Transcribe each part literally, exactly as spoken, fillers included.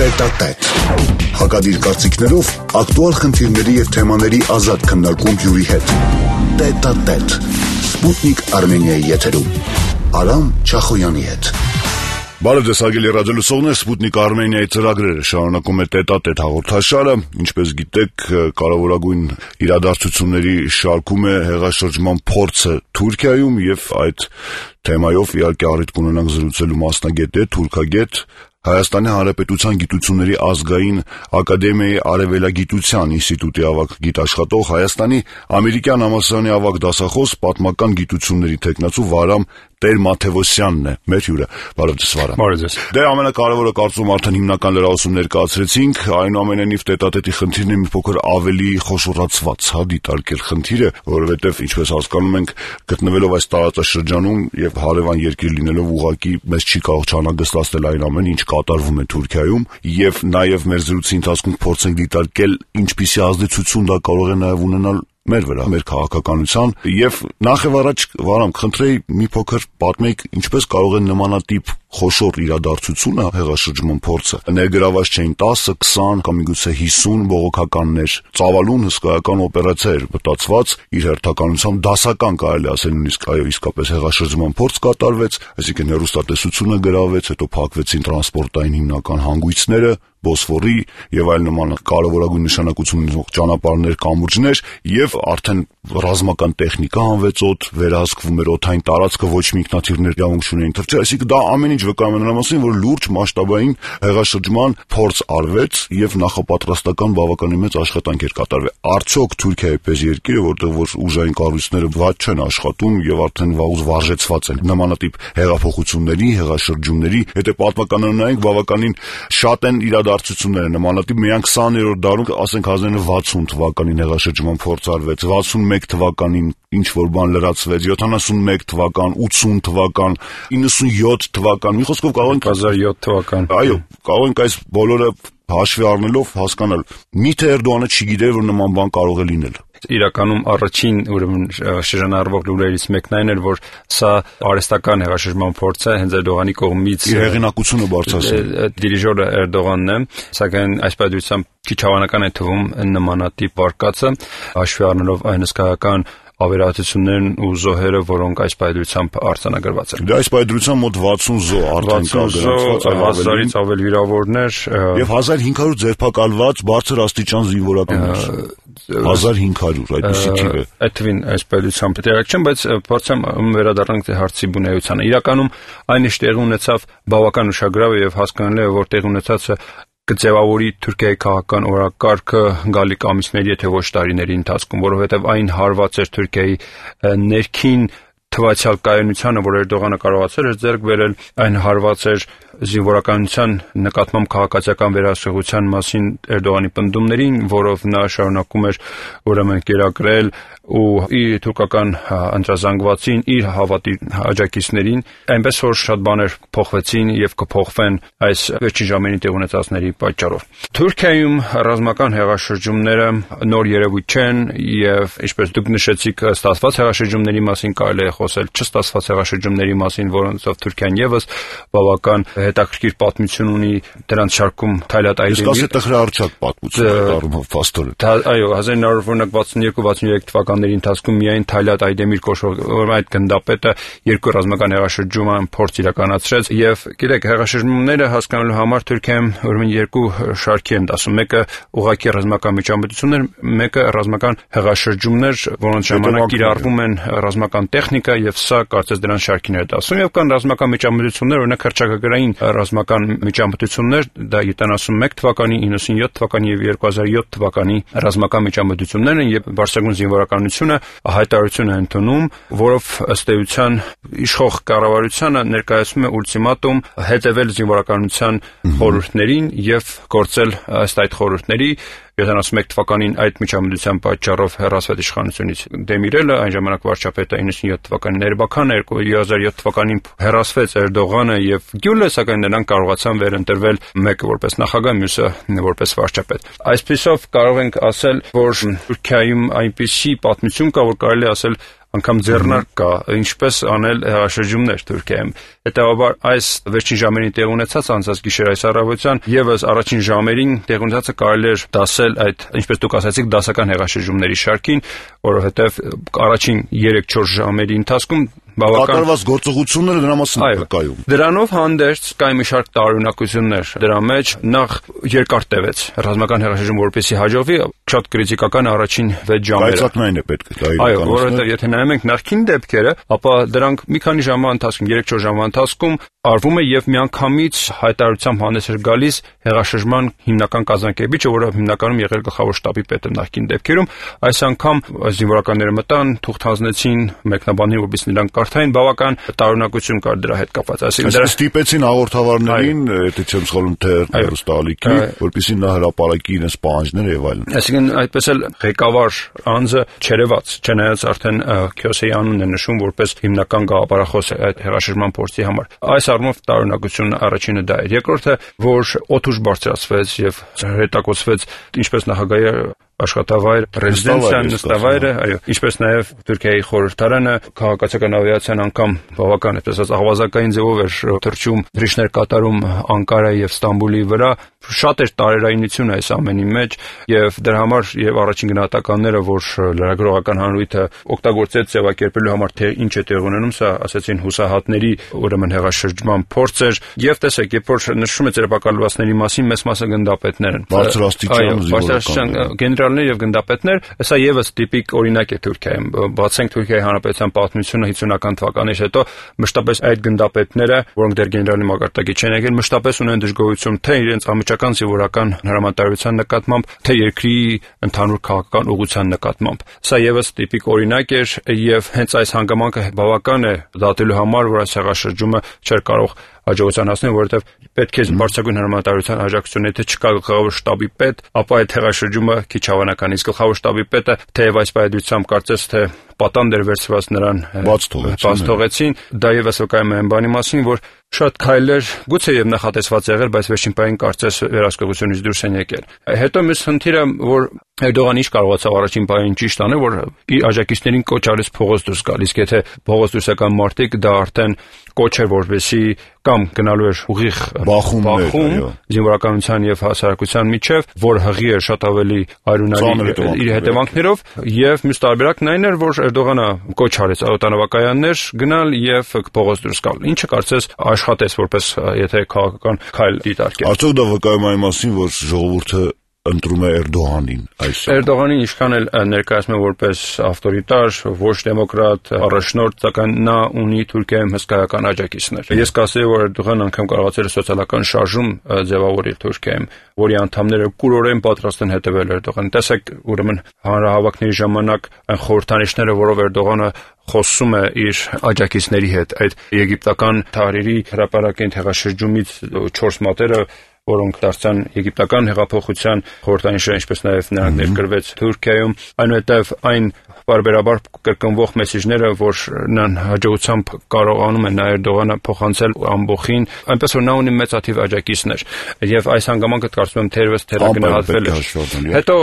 Տետատետ։ Հակադիր կարծիքներով ակտուալ խնդիրների և թեմաների ազատ քննարկում հյուրի հետ։ Տետատետ։ Սպուտնիկ Արմենիայի եթերում։ Արամ Չախոյանի հետ։ Բարև ձեզ հարգելի ռադիոլսողներ, Սպուտնիկ Արմենիայի ծրագրերը շարունակում է Տետատետ հաղորդաշարը։ Ինչպես գիտեք, կարևորագույն իրադարձությունների շարքում է հեղաշրջման փորձը Թուրքիայում եւ այդ թեմայով իհարկե առիթ կունենանք զրուցելու մասնագետ է, թուրքագետ, Հայաստանի Հանրապետության Գիտությունների ազգային ակադեմիայի Արևելագիտության ինստիտուտի ավագ գիտաշխատող, Հայաստանի ամերիկյան համալսարանի ավագ դասախոս, պատմական գիտությունների թեկնածու Վարամ Տեր-Մաթևոսյանն է մեր հյուրը։ Բարև ձեզ, Վարամ։ Բարև ձեզ։ Դե ամենակարևորը կարծում արդեն հիմնական լրահոսում ներկայացրեցինք, այնուամենայնիվ Տետատետի խնդիրն է մի փոքր ավելի խոշորացված, հա, դիտարկել խնդիրը, որովհետև ինչպես հասկանում ենք, գտնվելով այս տարածաշրջանում եւ հարևան երկիր լինելով ուղղակի մեզ չի կարող չանհանգստացնել այն ամենը, ինչ կատարվում է Թուրքիայում, եւ նաեւ մեր զրույցի ընթացքում փորձենք դիտարկել ինչպիսի ազդեցություն դա կարող է նաեւ ունենալ մեր վրա, մեր քաղաքականության, եւ նախ եւ առաջ Վարամ, խնդրեի մի փոքր պատմեք ինչպես կարող է նմանատիպ խոշոր իրադարձությունը հեղաշրջման փորձը ներգրաված չէին տասը, քսան կամ միգուցե հիսուն բողոքականներ, ծավալուն հսկայական օպերացիա էր մտածված, իր հերթականությամբ դասական կարելի ասել նույնիսկ այո իսկապես հեղաշրջման փորձ կատարվեց, այսինքն հեռուստատեսությունը գրավեց, հետո փակվեցին տրանսպորտային հիմնական հանգույցները, Բոսֆորի եւ այլ նման կարևորագույն նշանակություն ունեցող ճանապարհներ, կամուրջներ եւ արդեն ռազմական տեխնիկա անվեցոտ վերահսկվում էր օդային տարածքը, ոչ մի ինքնաթիռներ իրավունք չունեին թռչել, այսինքն դա ամեն ինչ վկայում է նրա մասին, որ լուրջ մասշտաբային հեղաշրջման փորձ արվեց եւ նախապատրաստական բավականին մեծ աշխատանք էր կատարվել։ Արդյոք Թուրքիայի պես երկիրը, որտեղ որ ուժային կառույցները ված չեն աշխատում եւ արդեն վաղուց վարժեցված են նմանատիպ հեղափոխությունների, հեղաշրջումների, եթե պատմականորեն նայենք, բավականին շատ են իրադարձությունները նմանատիպ միայն քսաներորդ դարում, ասենք հազար ինը հարյուր վաթսուն թվականին հեղաշրջման փորձ արվեց, վաթսունմեկ թվականին ինչ որ բան լրացվեց, յոթանասունմեկ թվական, ութսուն թվական, իննսունյոթ թվական, մի խոսքով կարող ենք հազար յոթ թվական։ Այո, կարող ենք այս բոլորը հաշվի առնելով հասկանալ։ Միթե Էրդողանը չգիտեր, որ նման բան կարող է լինել։ Իրականում առաջին ուրեմն շրջանառվող լուրերից մեկն այն էր, որ սա արհեստական հեղաշրջման փորձ է հենց Էրդողանի կողմից։ Իր հեղինակությունը բարձրացնել։ Դիրիժորը Էրդողանն է, սակայն այս պատճառությամբ քիչ հավանական է թվում նմանատիպ վարկածը, հաշվի առնելով այն հսկայական ավերածություններն ու զոհերը, որոնք այս պայդրությամբ արձանագրված են։ Դա այս պայդրությամբ մոտ վաթսուն զոհ արդեն կա գրանցված, հազարից ավել վիրավորներ եւ հազար հինգ հարյուր ձերբակալված բարձր աստիճան զինվորականներ։ հազար հինգ հարյուր այդպիսի թիվ է։ Այդ թվին այս պայդրությամբ տեղակ չեմ, բայց փորձեմ վերադառնանք հարցի բունեությանը։ Իրականում այն ինչ տեղի ունեցավ բավական ուշագրավ է եւ հասկանալի է, որ տեղի ունեցածը կձևավորի Թուրքիայի քաղաքական օրակարգը գալիք ամիսների, եթե ոչ տարիների ընթացքում, որովհետև այն հարված էր Թուրքիայի ներքին թվացial կայունությանը, որ Էրդողանը կարողացել էր ձեռք բերել, այն հարված էր զինվորականության նկատմամբ քաղաքացիական վերահսկողության մասին Էրդողանի պնդումներին, որով նա շարունակում էր ուրեմն կերակրել ու իր թուրքական ընտրազանգվածին, իր հավատի աջակիցներին, այնպես որ շատ բաներ փոխվեցին եւ կփոխվեն այս վերջին ժամերի տեղ ունեցածների պատճառով։ Թուրքիայում ռազմական հեղաշրջումները նոր երևույթ չեն եւ ինչպես դուք նշեցիք, ստացված հեղաշրջումների մասին կարելի է խոսել, չստացված հեղաշրջումների մասին, որոնցով Թուրքիան եւս բավական հետաքրքիր պատմություն ունի, դրանց շարքում Թայլատ Այդեմիր։ Իսկ ասե տխրահարչակ պատմություն է դառնում փաստորեն։ Այո, հազար ինը հարյուր վաթսունյոթ վաթսուներեք թվականների ընթացքում միայն Թայլատ Այդեմիր կոչվող այդ գնդապետը երկու ռազմական հեղաշրջում փորձ իրականացրեց եւ գիտեք, հեղաշրջումները հասկանալու համար Թուրքիայում ուրեմն երկու շարքի են դասում, մեկը ուղղակի ռազմական միջամտություններ, մեկը ռազմական հեղաշրջումներ, որոնց ժամանակ կիրառվում են ռազմական տեխնիկա եւ սա կարծես դրանց շարքին է դասում եւ կան ռազմական միջամտություններ, օրինակ հռչակագրային ռազմական միջամտություններ, դա յոթանասունմեկ թվականի, իննսունյոթ թվականի եւ երկու հազար յոթ թվականի ռազմական միջամտություններն են եւ բարձրագույն զինվորականությունը հայտարարություն է ընդունում, որով ըստ էության իշխող կառավարությանը ներկայացում է ուլտիմատում հետևել զինվորականության խորհուրդներին եւ գործել ըստ այդ խորհուրդների յոթանասունմեկ թվականին այդ միջամտության պատճառով հեռացված իշխանությունից Դեմիրելը, այն ժամանակ վարչապետը իննսունյոթ թվականին Էրբաքանը, երկու հազար յոթ թվականին հեռացվեց Էրդողանը եւ Գյուլը, սակայն նրանք կարողացան վերընտրվել մեկը որպես նախագահ, մյուսը որպես վարչապետ։ Այսպիսով կարող ենք ասել, որ Թուրքիայում այնպիսի պատմություն կա, որ կարելի ասել անգամ ձեռնարկ կա ինչպես անել հեղաշրջումներ Թուրքիայում։ Հետևաբար այս վերջին ժամերին տեղ ունեցած անցած գիշեր այս առավոտյան եւս առաջին ժամերին տեղ ունեցածը կարելի էր դասել այդ, ինչպես դուք ասացիք, դասական հեղաշրջումների շարքին, որովհետեւ առաջին երեք-չորս ժամերի ընթացքում բավական կատարված գործողությունները դրա մասին կայում։ Դրանով հանդերձ կային մի շարք տարօրինակություններ դրա մեջ, նախ երկար տևեց ռազմական հեղաշրջում, որպեսզի հաջողվի, շատ կրիտիկական առաջին վեց ժամերը։ Կայծակնային է պետք է դա իրականացնել։ Այո, որովհետև եթե նայում ենք նախքին դեպքերը, ապա դրանք մի քանի ժամվա ընթացքում, երեք-չորս ժամվա ընթացքում արվում է եւ միանգամից հայտարարությամբ հանդես էր գալիս հեղաշրջման հիմնական կազմակերպիչը, որը հիմնականում եղել գլխավոր շտաբի պետը նախքին դեպքերում, այս անգամ զինվորականները մտան, թուղթ հանձնեցին մեկնաբանին, որպեսզի նրանք կարդային, բավական տարօրինակություն կար դրա հետ կապված։ Այսինքն դրա ստիպեցին հաղորդավարներին, եթե չեմ սխալվում, թե հեռուստաալիքի, որպեսզի նա հրապարակի իրենց պահանջները եւ այլն։ Այսինքն այդպես էլ ղեկավար անձը չերևաց, չնայած արդեն Քյոսեի անունն է նշում որպես հիմնական գաղափարախոս այդ հեղաշրջման փորձի համար։ Այս առումով տարօրինակությունն առաջինը դա էր։ Երկրորդը, որ օդուժ բարձրացվեց եւ հրետակոծվեց ինչպես նախագահի աշխատավայր, ռեզիդենցիան, նստավայրը, այո, ինչպես նաև Թուրքիայի խորհրդարանը, քաղաքացիական ավիացիան անգամ բավական այդպես ասած աղվազակային ձևով էր թռչում, դրիշներ կատարում Անկարայի եւ Ստամբուլի վրա, շատ էր տարերայնություն այս ամենի մեջ եւ դրա համար եւ առաջին գնահատականները, որ լրագրողական հանրույթը օգտագործեց ձևակերպելու համար թե ինչ է տեղ ունենում, սա ասացին հուսահատների ուրեմն հեղաշրջման փորձ էր եւ տեսեք, երբ որ նշում է ձերբակալվածների մասին, մեծ մասը գնդապետներ են։ Բարձրաստիճան զինվորական եւ գնդապետներ, սա եւս տիպիկ օրինակ է Թուրքիայում։ Բացենք Թուրքիայի Հանրապետության պատմությունը հինգսունական թվականից հետո մշտապես այդ գնդապետները, որոնք դեռ գեներալի մակարդակի չեն եկել, մշտապես ունեն դժգոհություն թե իրենց անմիջական զինվորական հրամանատարության նկատմամբ, թե երկրի ընդհանուր քաղաքական ուղղության նկատմամբ։ Սա եւս տիպիկ օրինակ էր եւ հենց այս հանգամանքը բավական է դատելու համար, որ այս հեղաշրջումը չէր կարող հաջողության հասնել, որովհետև պետք է բարձրագույն հրամանատարության աջակցություն, եթե չկա գլխավոր շտաբի պետ, ապա այդ հեղաշրջումը քիչ հավանական է։ Իսկ գլխավոր շտաբի պետը թեև այս պայմանությամբ կարծես թե պատանդ էր վերցված նրան բաց թողեցին, դա եւս վկայում է այն բանի մասին, որ շատ քայլեր գուցե եւ նախատեսված եղել, բայց վերջին պահին կարծես վերահսկողությունից դուրս են եկել։ Հետո մյուս խնդիրը, որ Էրդողանը ինչ կարողացավ առաջին պահին ճիշտ անել, որ իր աջակիցներին կոչ արեց փողոց դուրս գալ, իսկ եթե փողոց դուրս եկան մարդիկ, դա արդեն կոչ էր, որպեսզի կամ գնալու էր ուղիղ բախում զինվորականության եւ հասարակության միջև, որ հղի էր շատ ավելի արյունարի իր հետևանքներով, եւ մյուս տարբերակն այն էր, որ Էրդողանը կոչ արեց օտանավակայաններ գնալ եւ փողոց դուրս գալ, ինչը կարծես աշխատեց որպես եթե քաղաքական քայլ դիտարկել։ Արդյոք դա վկայում է այն մասին, որ ժողովուրդը ընտրում է Էրդողանին այսօր։ Էրդողանին ինչքան էլ ներկայացնում է որպես ավտորիտար, ոչ դեմոկրատ, առաջնորդ, սակայն նա ունի Թուրքիայում հսկայական աջակիցներ։ Ես կասեի, որ Էրդողանը անգամ կարողացել է սոցիալական շարժում ձևավորել Թուրքիայում, որի անդամները կուրորեն պատրաստ են հետևել Էրդողանին։ Տեսեք, ուրեմն հանրահավաքների ժամանակ այն խորհրդանիշները, որով Էրդողանը խոսում է իր աջակիցների հետ, այդ եգիպտական Թահրիրի հրապարակային հեղաշրջումից չորս մատերը, որոնք դարձան եգիպտական հեղափոխության խորհրդանիշը, ինչպես նաև նրանք ներկրվեց Թուրքիայում, այնուհետև այն բարբերաբար կրկնվող մեսիջները, որ նրան հաջողությամբ կարողանում է նա Էրդողանը փոխանցել ամբողջին, այնպես որ նա ունի մեծաթիվ աջակիցներ եւ այս հանգամանքը կարծում եմ թերևս թերագնահատվել է։ Հետո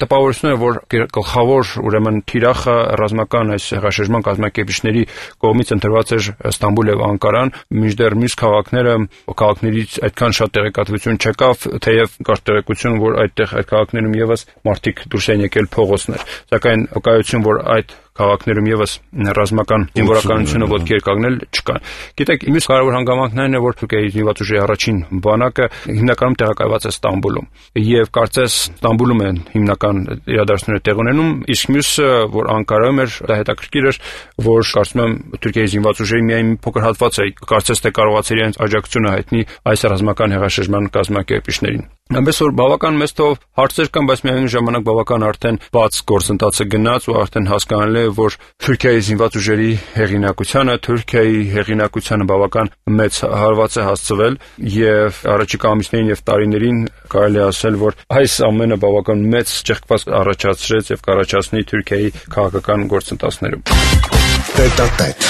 տպավորություն է, որ գլխավոր ուրեմն թիրախը ռազմական այս հեղաշրջման կազմակերպիչների կողմից ընտրված էր Ստամբուլ եւ Անկարան, մինչդեռ մյուս քաղաքները քաղաքներից այդքան շատ տեղեկատվություն չկավ, թեև կար տեղեկություն, որ այդտեղ այդ քաղաքներում եւս մարդիկ դուրս են եկել փողոցներ, սակայն վկայություն, որ այդ քաղաքներում եւս ռազմական զինվորականությունը ոտքի էր կանգնել չկա։ Գիտեք, մյուս կարևոր հանգամանքն այն է, որ Թուրքիայի զինված ուժերի առաջին բանակը հիմնականում տեղակայված է Ստամբուլում եւ կարծես Ստամբուլում են հիմնական իրադարձությունները տեղ ունենում, իսկ մյուսը, որ Անկարայում էր, դա հետաքրքիր էր, որ կարծում եմ Թուրքիայի զինված ուժերի միայն մի փոքր հատված է, կարծես թե կարողացել իրենց աջակցությունը հայտնի այս ռազմական հեղաշրջման կազմակերպիչներին։ Այնպես որ բավական մեծ թվով հարցեր կան, բայց միայն ժամանակ բավական արդեն բաց գործընթացը գնաց ու արդեն հասկանալի է, որ Թուրքիայի զինված ուժերի հեղինակությանը, Թուրքիայի հեղինակությանը բավական մեծ հարված է հասցվել եւ առաջիկա ամիսներին եւ տարիներին կարելի ասել, որ այս ամենը բավական մեծ ճեղքված առաջացրեց եւ կառաջացնի Թուրքիայի քաղաքական գործընթացներում։ Տետատետ։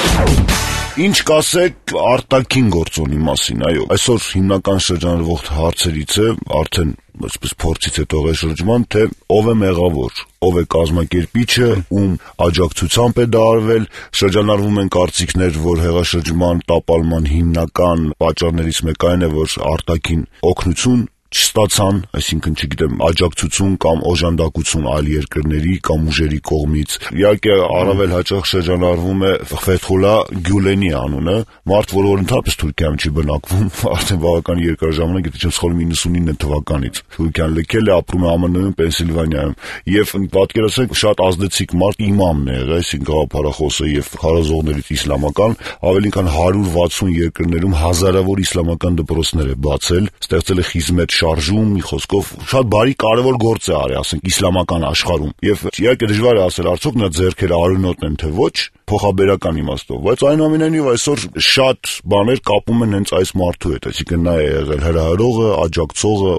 Ինչ կասեք արտաքին գործոնի մասին, այո, այսօր հիմնական շրջանառվող հարցերից է, արդեն այսպես փորձից հետո շրջման, թե ով է մեղավոր, ով է կազմակերպիչը, ում աջակցությամբ է դա արվել, շրջանառվում են կարծիքներ, որ հեղաշրջման տապալման հիմնական պատճառներից մեկը այն է, որ արտաքին օգնություն չստացան, այսինքն չգիտեմ, աջակցություն կամ օժանդակություն այլ երկրների կամ ուժերի կողմից։ Իհարկե առավել հաճախ շրջանառվում է Ֆեթխուլլա Գյուլենի անունը, մարդ, որը ընդհանրապես Թուրքիայում չի բնակվում, արդեն բավական երկար ժամանակ, եթե չեմ սխալվում իննսունինը թվականից Թուրքիան լքել է, ապրում է ԱՄՆ-ում, Պենսիլվանիայում, եւ պատկերացրեք շատ ազդեցիկ մարդ իմամն է եղել, այսինքն գաղափարախոսը եւ քարոզողներից իսլամական, ավելի քան հարյուր վաթսուն երկրներում հազարավոր իսլամական դպրոցներ է բացել, ստեղծել է խիզմետ շարժում, մի խոսքով շատ բարի կարևոր գործ է արել, ասենք իսլամական աշխարհում։ Եվ իհարկե դժվար է ասել արդյոք նա ձեռքերը արյունոտ են թե ոչ, փոխաբերական իմաստով, բայց այնուամենայնիվ այսօր շատ բաներ կապում են հենց այս մարդու հետ, այսինքն նա է եղել հրահրողը, աջակցողը,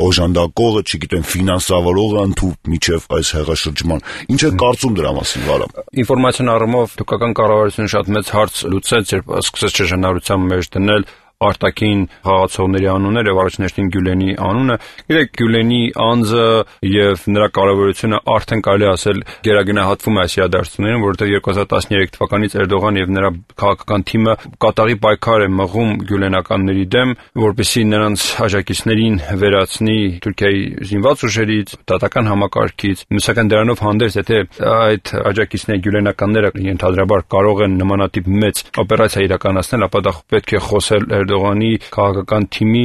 օժանդակողը, չգիտեմ, ֆինանսավորողը ընդհանուր միջև այս հեղաշրջման։ Ինչ է կարծում դրա մասին, Վարամ։ Ինֆորմացիոն առումով թուրքական կառավարությունը շատ մեծ հարց լուծեց, երբ սկսեց շրջանառության մեջ դնել արտաքին խաղացողների անունները, առաջնեշտին Գյուլենի անունը։ Գիտեք, Գյուլենի անձը եւ նրա կարևորությունը արդեն կարելի ասել գերագնահատվում է այս իրադարձություններին, որովհետեւ երկու հազար տասներեք թվականից Էրդողան եւ նրա քաղաքական թիմը կատաղի պայքար է մղում գյուլենականների դեմ, որպեսզի նրանց աջակիցներին վերացնի Թուրքիայի զինված ուժերից, դատական համակարգից։ Սակայն դրանով հանդերձ, եթե այդ աջակիցների գյուլենականները ենթադրաբար կարող են նմանատիպ մեծ օպերացիա իրականացնել, ապա դա պետք է խոսել Էրդողանի քաղաքական թիմի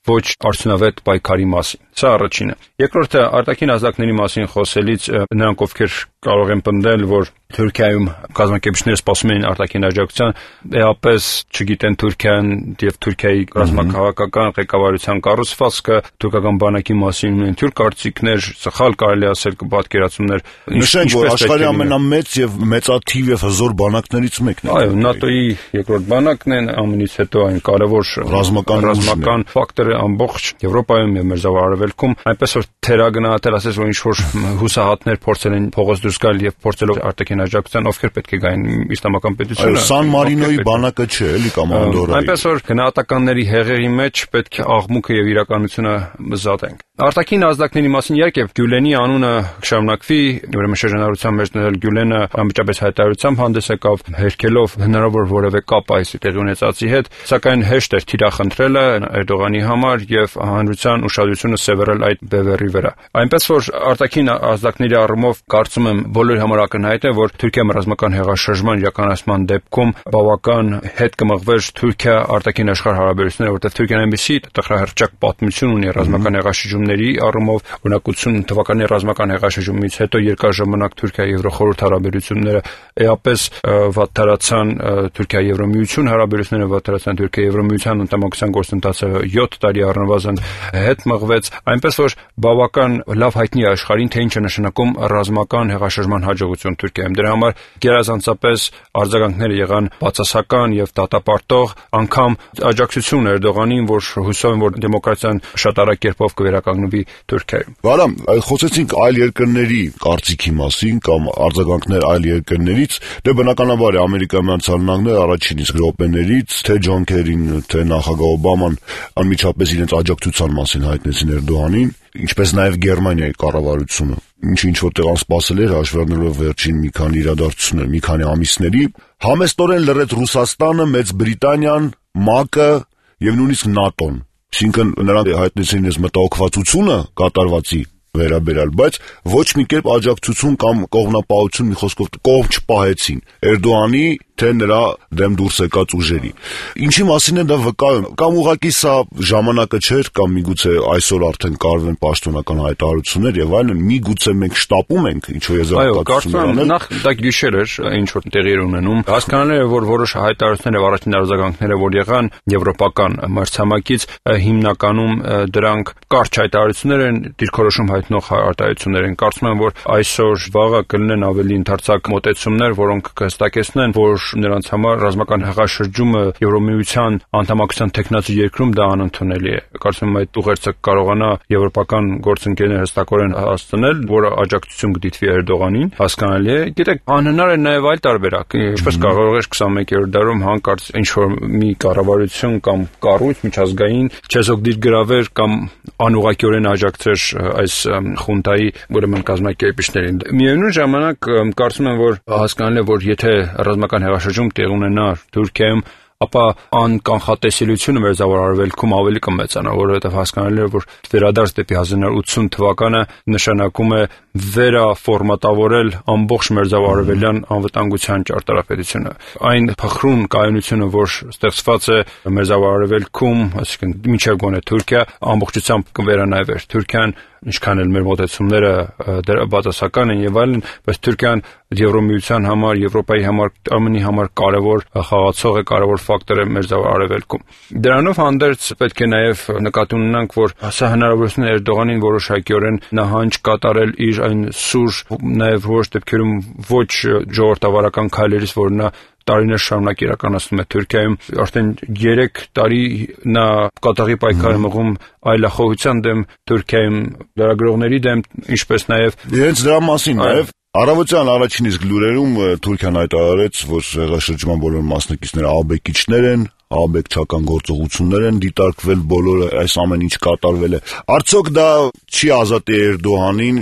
ոչ արդյունավետ պայքարի մասին։ Սա առաջինը։ Երկրորդը, արտաքին ազդակների մասին խոսելիս նրանք, ովքեր կարող են պնդել, որ Թուրքիայում կազմակերպիչները սպասում են արտաքին աջակցության, էապես չգիտեն Թուրքիան եւ Թուրքիայի ռազմաքաղաքական ղեկավարության կառուցվածքը, թուրքական բանակի մասին ունեն թյուր կարծիքներ, սխալ կարելի ասել պատկերացումներ։ Նշենք, որ աշխարհի ամենամեծ եւ մեծաթիվ եւ հզոր բանակներից մեկն է։ Այո, ՆԱՏՕ-ի երկրորդ բանակն է, ամենից հետո այն կարևոր ռազմական ռազմական ֆակտորը ամբողջ Եվրոպայում եւ մեր զավարևելքում, այնպես որ թերագնահատել ասես, որ ինչ որ հուսահատներ փորձել են փողոց դուրս գալ եւ փորձելով արտաքին աջակցության, ովքեր պետք է գային իսլամական պետությունը։ Սան Մարինոյի բանակը չէ, էլի կամ Անդորայի։ Այնպես որ գնահատականների հեղերի մեջ պետք է աղմուկը եւ իրականությունը զատենք։ Արտաքին ազդակների մասին իհարկե Գյուլենի անունը շարունակվի, ուրեմն շրջանառության մեջ դնել Գյուլենը անմիջապես հայտարարությամբ հանդես եկավ, հերքելով հնարավոր որևէ կապ այս տեղի ունեցածի հետ, սակայն հեշտ էր թիրախնդրելը Էրդողանի համար եւ հանրության ուշադրությունը սևեռել այդ բևեռի վրա։ Այնպես որ արտաքին ազդակների առումով կարծում եմ բոլորի համար ակնհայտ է, որ Թուրքիայում ռազմական հեղաշրջման իրականացման դեպքում բավական հետ կմղվեր Թուրքիա արտաքին աշխարհ հարաբերությունները, որտեղ Թուրքիան այնպեսի տխրահռչակ պատմություն ունի ռազմական հեղաշրջումների առումով, օրինակություն թվականի ռազմական հեղաշրջումից հետո երկար ժամանակ Թուրքիա-Եվրոխորհուրդ հարաբերությունները էապես վատթարացան, Թուրքիա-Եվրոմիություն հարաբերությունները վատթարացան, Թուրքիա-Եվրոմիության անդամակցության գործընթացը յոթ տարի առնվազն հետ մղվեց, այնպես որ բավական լավ հայտնի է աշխարհին, թե ինչ է նշանակում ռազմական հեղաշրջման հաջողություն Թուրքիայում։ Դրա համար գերազանցապես արձագանքները եղան բացասական եւ դատապարտող, անգամ աջակցություն Էրդողանին, որ հուսով են, որ դեմոկրատիան շատ արագ կերպով կվերականգնվի Թուրքիայում։ Վարամ, խոսեցինք այլ երկրների կարծիքի մասին կամ արձագանքներ այլ երկրներից, դե բնականաբար է Ամերիկայի Միացյալ Նահանգները առաջին իսկ րոպեներից, թե Ջոն Քերին, թե նախագահ Օբաման անմիջապես իրենց աջակցության մասին հայտնեցին Էրդողանին, ինչպես նաև Գերմանիայի կառավարությունը, ինչը ինչ որտեղ անսպասել էր, հաշվառնելով վերջին մի քանի իրադարձություններ, մի քանի ամիսների, համեստորեն լռեց Ռուսաստանը, Մեծ Բրիտանիան, ՄԱԿ-ը եւ նույնիսկ ՆԱՏՕ-ն։ Այսինքն նրանք հայտնեցին իրենց մտահոգվածությունը կատարվածի վերաբերյալ, բայց ոչ մի կերպ աջակցություն կամ կողմնապահություն, մի խոսքով կողմ չպահեցին Էրդողանի թե նրա դեմ դուրս եկած ուժերի։ Ինչի մասին է դա վկայում, կամ ուղղակի սա ժամանակը չէր, կամ միգուցե այսօր արդեն կարվեն պաշտոնական հայտարարություններ եւ այլն, միգուցե մենք շտապում ենք ինչ-որ եզրակացություններ անել։ Նախ դա գիշեր էր, ինչ որ տեղի էր ունենում։ Հասկանալի է, որ որոշ հայտարարություններ եւ առաջին արձագանքները, որ եղան եվրոպական մրցամակից, հիմնականում դրանք կարճ հայտարարություններ են, դիրքորոշում հայտնող հայտարարություններ են։ Կարծում եմ, որ այսօր վաղը կլինեն ավելի ընդարձակ մոտեցումներ, որոնք կհստակեցնեն, որ նրանց համար ռազմական հեղաշրջումը Եվրոմիության անդամակցության տեխնացու երկրում դա անընդունելի է։ Կարծում եմ այդ ուղերձը կարողանա եվրոպական գործընկերները հստակորեն հասցնել, որը աջակցություն կդիտվի Էրդողանին, հասկանալի է։ Գիտեք, անհնար է նաև այլ տարբերակ։ Ինչպես կարող է քսանմեկերորդ դարում հանկարծ ինչ-որ մի կառավարություն կամ կառույց միջազգային չեզոք դիրգրավեր կամ անուղղակիորեն աջակցեր այս խունտայի ուրեմն կազմակերպիչներին։ Միևնույն ժամանակ կարծում եմ, որ հասկանալի է, որ եթե ռազմական հեղաշրջում տեղի ունենա Թուրքիայում, ապա անկանխատեսելիությունը մերձավոր արևելքում ավելի կմեծանա, որովհետև հասկանալի է, որ վերադարձ դեպի հազար նոր ութսուն թվականը նշանակում է վերաֆորմատավորել ամբողջ մերձավոր արևելյան անվտանգության ճարտարապետությունը։ Այն փխրուն կայունությունը, որ ստեղծված է մերձավոր արևելքում, այսինքն մինչև գոնե Թուրքիա, ամբողջությամբ կվերանայվեր։ Թուրքիան ինչքան էլ մեր մոտեցումները դրա բացասական են եւ այլն, բայց Թուրքիան Եվրոմիության համար, Եվրոպայի համար, ամենի համար կարևոր խաղացող է, կարևոր ֆակտոր է մերձավոր արևելքում։ Դրանով հանդերձ պետք է նաեւ նկատի ունենանք, որ սա հնարավորություն է Էրդողանին որոշակիորեն նահանջ կատարել իր այն սուր, նաեւ որոշ դեպքերում ոչ ժողովրդավարական քայլերից, որ նա տարիներ շարունակ իրականացնում է Թուրքիայում, արդեն երեք տարի նա կատաղի պայքար է մղում այլախոհության դեմ Թուրքիայում, լրագրողների դեմ, ինչպես նաև Հենց դրա մասին նաև առավոտյան առաջին իսկ լուրերում Թուրքիան հայտարարեց, որ հեղաշրջման բոլոր մասնակիցները աբեկիչներ են, աբեկչական գործողություններ են դիտարկվել, բոլորը այս ամեն ինչ կատարվել է։ Արդյոք դա չի ազատի Էրդողանին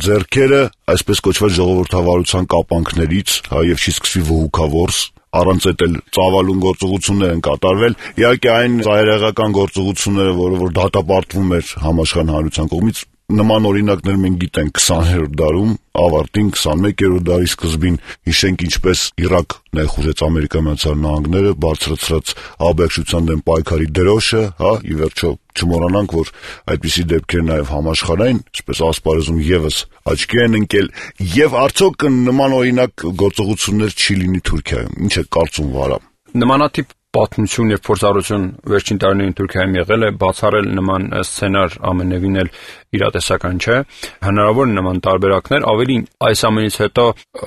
ձեռքերը այսպես կոչված ժողովրդավարության կապանքներից, հա, եւ չի սկսվի վհուքավորս, առանց այդ էլ ծավալուն գործողություններ են կատարվել։ Իհարկե այն ծայրահեղական գործողությունները, որը որ դատապարտվում էր համաշխարհային հանրության կողմից, նման օրինակներ մենք գիտենք քսաներորդ դարում, ավարտին քսանմեկերորդ դարի սկզբին, հիշենք ինչպես Իրաք ներխուժեց Ամերիկայի Միացյալ Նահանգները, բարձրացրած աբեկչության դեմ պայքարի դրոշը, հա, ի վերջո չմոռանանք, որ այդպիսի դեպքեր նաև համաշխարհային, այսպես ասպարեզում եւս աչքի են ընկել, եւ արդյոք նման օրինակ գործողություններ չի լինի Թուրքիայում։ Ինչ է կարծում Վարա։ Նմանատիպ պատմություն եւ փորձառություն վերջին տարիներին Թուրքիայում եղել է, բացառել նման սցենար ամենևին էլ իրատեսական չէ։ Հնարավոր է նման տարբերակներ, ավելին այս ամենից հետո,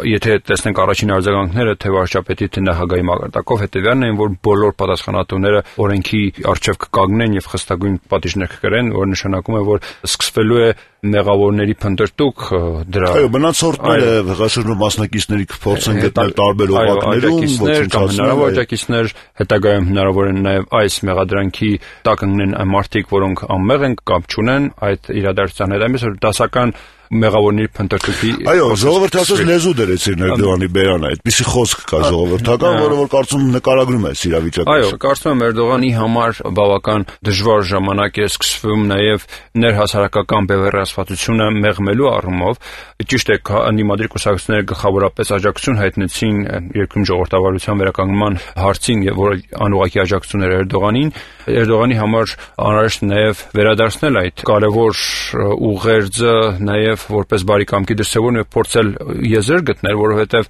եթե տեսնենք առաջին արձագանքները թե վարչապետի, թե նախագահի մակարդակով, հետեւյալն են, որ բոլոր պատասխանատուները օրենքի առջև կկանգնեն եւ խստագույն պատիժներ կկրեն, որ նշանակում է, որ սկսվելու է մեղավորների փնտրտուք դրա։ Այո, մնացորդները հեղաշրջման մասնակիցների կփորձեն գտնել տարբեր օղակներում, ոչնչացնել աջակիցներ, հետագայում հնարավոր է նաև այս մեղադրանքի տակ ընկնեն այն մարդիկ, որոնք անմեղ են կամ չունեն այդ իրադարձության հետ, այնպես որ դասական մեղավորների փնտրտուքի։ Այո, ժողովրդացած լեզու դրեցին Էրդողանի բերանը, այդպիսի խոսք կա ժողովրդական, որը որ կարծում նկարագրում է իրավիճակը։ Այո, կարծում եմ Էրդողանի համար բավական դժվար ժամանակ է սկսվում նաև ներհասարակական բևեռացվածությունը մեղմելու առումով։ Ճիշտ է, ընդդիմադիր կուսակցությունները գլխավորապես աջակցություն հայտնեցին երկրում ժողովրդավարության վերականգնման հարցին, որը անուղղակի աջակցություն էր Էրդողանին։ Էրդողանի համար անհրաժեշտ է նաև վերադարձնել այդ կարևոր ուղերձը, նաև որպես բարի կամքի դրսևորում եւ փորձել եզր գտնել, որովհետեւ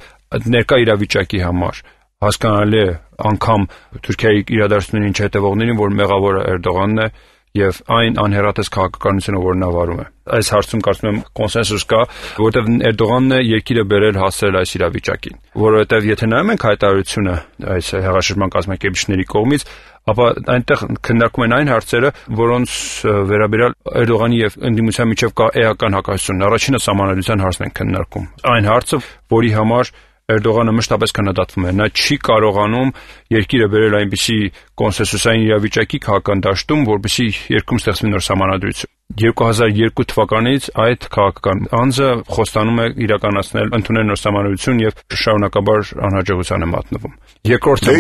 ներկա իրավիճակի համար հասկանալի է անգամ Թուրքիայի իրադարձություններին չհետևողներին, որ մեղավորը Էրդողանն է եւ այն անհերատես քաղաքականությունը, որ նա վարում է։ Այս հարցում կարծում եմ կոնսենսուս կա, որովհետեւ Էրդողանն է երկիրը բերել հասցրել այս իրավիճակին, որովհետեւ եթե նայում ենք հայտարարությունը այս հեղաշրջման կազմակերպիչների կողմից, ապա այնտեղ քննարկում են այն հարցերը, որոնց վերաբերյալ Էրդողանի եւ ընդդիմության միջև կա էական հակասություն։ Առաջինը սահմանադրության հարցն են քննարկում։ Այն հարցը, որի համար Էրդողանը մշտապես քննադատվում է։ Նա չի կարողանում երկիրը բերել այնպիսի կոնսենսուսային իրավիճակի քաղաքական դաշտում, որպեսզի երկրում ստեղծվի նոր սահմանադրություն։ երկու հազար երկու թվականից այդ քաղաքական անձը խոստանում է իրականացնել ընդունել նոր սահմանադրություն եւ շարունակաբար անհաջողության է մատնվում։ Երկրորդը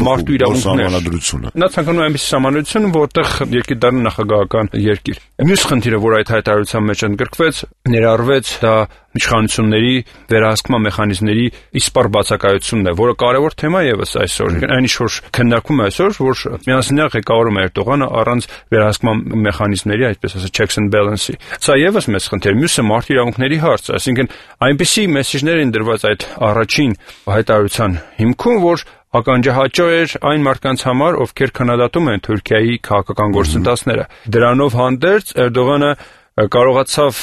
մարդու իրավունքները։ Նա ցանկանում է այնպիսի սահմանադրություն, որտեղ երկիր դառնա նախագահական երկիր։ Մյուս խնդիրը, որ այդ հայտարարության մեջ ընդգրկվեց, ներառվեց դա իշխանությունների վերահսկման մեխանիզմների իսպառ բացակայությունն է, որը կարևոր թեմա եւս այսօր։ Այն ինչ որ քննարկում է այսօր, որ միասնական ղեկավարում է Էրդողանը առանց վերահսկման մեխանիզմների, այսպես ասած checks and balance-ի։ Սա եւս մեծ խնդիր, մյուսը մարդու իրավունքների հարցը, այսինքն այնպիսի մեսեջներ են դրված այդ առաջին հայտարարության հիմքում, որ ականջահաճո էր այն մարդկանց համար, ովքեր քննադատում են Թուրքիայի քաղաքական գործընթացները։ Դրանով հանդերձ Էրդողանը կարողացավ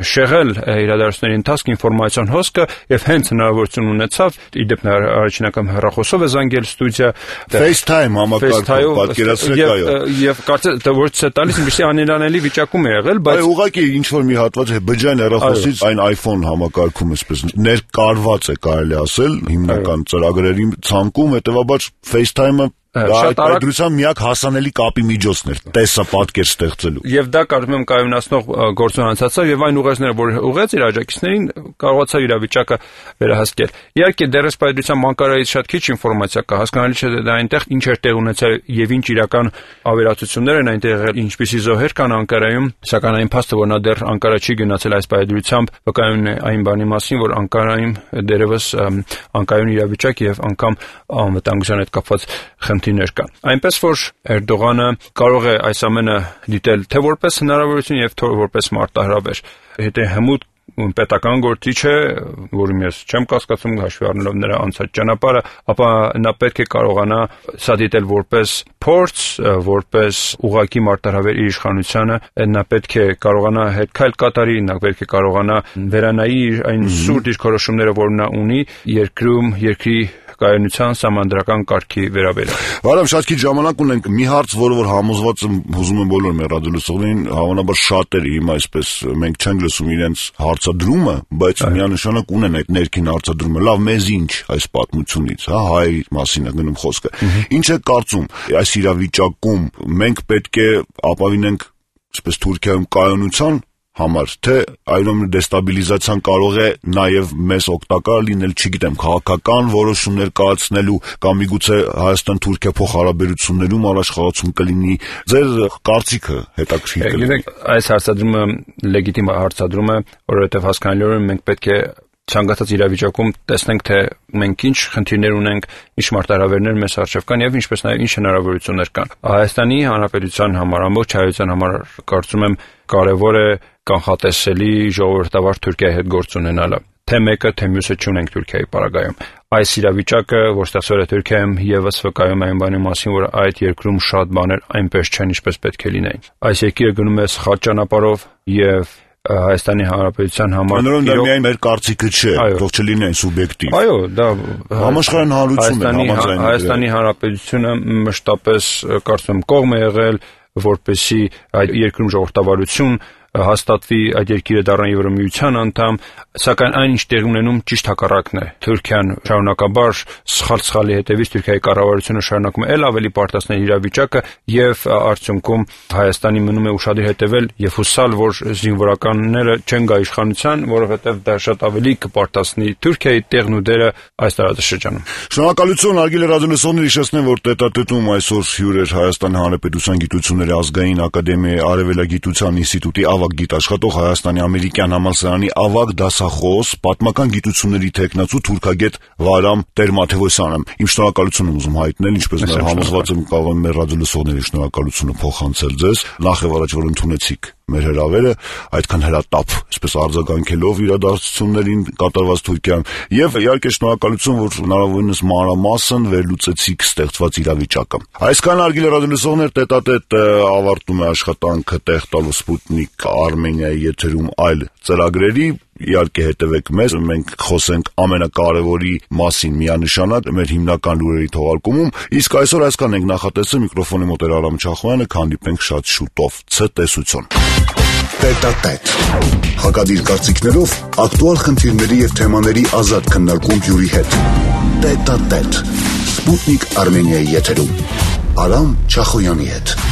շեղել իրադարձությունների ընթացք ինֆորմացիոն հոսքը եւ հենց հնարավորություն ունեցավ իդեպ առաջին անգամ հեռախոսով է զանգել ստուդիա FaceTime համակարգով պատկերացրեք այո եւ կարծես թե ոչ թե տալիս ինչպեսի անելանելի վիճակում է եղել բայց այո ուղղակի ինչ որ մի հատված է բջջային հեռախոսից այն iPhone համակարգում էսպես ներկարված է կարելի ասել հիմնական ծրագրերի ցանկում հետեւաբար FaceTime-ը Շատ արագ դրության միակ հասանելի կապի միջոցն էր տեսա պատկեր ստեղծելու եւ դա կարծում եմ կայունացնող գործուն անցածավ եւ այն ուղերձները որ ուղեց իր աջակիցներին կարողացավ իրավիճակը վերահսկել իհարկե դեռ սպայդրության մանկարայից շատ քիչ ինֆորմացիա կա հասկանալի չէ դա այնտեղ ինչ էր տեղ ունեցել եւ ինչ իրական ավերածություններ են այնտեղ եղել ինչպիսի զոհեր կան Անկարայում սակայն այն փաստը որ նա դեռ Անկարա չի գնացել այս սպայդրությամբ վկայում է այն բանի մասին որ Անկարայում դերևս անկայուն իրավիճակ եւ անգամ անվտանգության հետ կապված խնդիրներ կան։ Այնպես որ Էրդողանը կարող է այս ամենը դիտել թե որպես հնարավորություն եւ թե որպես մարտահրավեր։ Հետո հմուտ պետական գործիչ է, որում ես չեմ կասկածում հաշվի առնելով նրա անցած ճանապարհը, ապա նա պետք է կարողանա սա դիտել որպես փորձ, որպես ուղղակի մարտահրավեր իր իշխանությանը, նա պետք է կարողանա հետ քայլ կատարի, նա պետք է կարողանա վերանայի այն սուրտ դիրքորոշումները, որ նա ունի երկրում, երկրի կայունության համանդրական կարգի վերաբերյալ։ Վարամ շատ քիչ ժամանակ ունենք մի հարց, որը որ համոզված եմ հուզում եմ բոլոր մեր ռադիոլսողներին, հավանաբար շատերը հիմա այսպես մենք չենք լսում իրենց հարցադրումը, բայց միանշանակ ունեն այդ ներքին հարցադրումը։ Լավ, մեզ ինչ այս պատմությունից, հա, հայ մասին է գնում խոսքը։ Ինչ է կարծում, այս իրավիճակում մենք պետք է ապավինենք այսպես Թուրքիայում կայունության համար, թե այլոց դեստաբիլիզացիան կարող է նաև մեզ օգտակար լինել, չգիտեմ, քաղաքական որոշումներ կայացնելու կամ միգուցե Հայաստան-Թուրքիա փոխհարաբերություններում առաջխաղացում կլինի։ Ձեր կարծիքը հետաքրքիր կլինի։ Գիտեք, այս հարցադրումը լեգիտիմ հարցադրում է, որովհետև հասկանալիորեն մենք պետք է ցանկացած իրավիճակում տեսնենք թե մենք ինչ խնդիրներ ունենք, ինչ մարտահրավերներ մեզ առջև կան եւ ինչպես նաեւ ինչ հնարավորություններ կան։ Հայաստանի Հանրապետության համար, ամբողջ հայության համար կարծում եմ կարեւոր է կանխատեսելի ժողովրդավար Թուրքիայի հետ գործ ունենալը։ Թե մեկը, թե մյուսը չունենք Թուրքիայի պարագայում։ Այս իրավիճակը, որ ստեղծվել է Թուրքիայում, եւս վկայում է այն բանի մասին, որ այդ երկրում շատ բաներ այնպես չեն, ինչպես պետք է լինեին։ Այս երկիրը գնում է սխալ ճանապարհով եւ Հայաստանի Հանրապետության համար Անորոն դա միայն մեր կարծիքը չէ, թող չլինի այն սուբյեկտիվ։ Այո, դա համաշխարհային հանրություն է, համաձայն։ Հայաստանի Հանրապետությունը մշտապես կարծում եմ կողմ է եղել, որպեսզի այդ երկրում ժողովրդավարություն հաստատվի, այդ երկիրը դառնա Եվրոմիության անդամ, սակայն այն ինչ տեղի ունենում ճիշտ հակառակն է։ Թուրքիան շարունակաբար սխալ-սխալի հետևից Թուրքիայի կառավարությունը շարունակում է ել ավելի պարտացնել իրավիճակը եւ արդյունքում Հայաստանի մնում է ուշադիր հետևել եւ հուսալ, որ զինվորականները չեն գա իշխանության, որովհետեւ դա շատ ավելի կպարտացնի Թուրքիայի տեղն ու դերը այս տարածաշրջանում։ Շնորհակալություն, հարգելի ռադիոլսողներ, հիշեցնեմ, որ տետատետում այսօր հյուր էր Հայաստանի Հանրապետության Գիտությունների ազգային ակադեմիայի Արևելագիտության ինստիտուտի ավագ գիտաշխատող Հայաստանի ամերիկյան համալսարանի ավագ դասախոս, պատմական գիտությունների թեկնածու թուրքագետ Վարամ Տեր-Մաթևոսյանը։ Իմ շնորհակալությունը ուզում հայտնել, ինչպես նաև համոզված եմ կարող եմ մեր ռադիոլսողների շնորհակալությունը փոխանցել ձեզ։ Նախ եւ առաջ որ ընդունեցիք մեր հրավերը, այդքան հրատապ, այսպես արձագանքելով իրադարձություններին կատարված Թուրքիայում, եւ իհարկե շնորհակալություն, որ հնարավորինս մանրամասն վերլուծեցիք ստեղծված իրավիճակը։ Այսքան հարգելի ռադիոլսողներ, տետատետ ավարտում է աշխատանքը տեղ տալու Սպուտնիկ Արմենիայի եթերում այլ ծրագրերի։ Իհարկե հետևեք մեզ, մենք խոսենք ամենակարևորի մասին միանշանակ մեր հիմնական լուրերի թողարկումում, իսկ այսօր այսքան ենք նախատեսել, միկրոֆոնի մոտ էր Արամ Չախոյանը, քանդիպենք շատ շուտով։ Ցտեսություն։ Տետատետ հակադիր կարծիքներով ակտուալ խնդիրների եւ թեմաների ազատ քննարկում հյուրի հետ։ Տետատետ Սպուտնիկ Արմենիայի եթերում Արամ Չախոյանի հետ։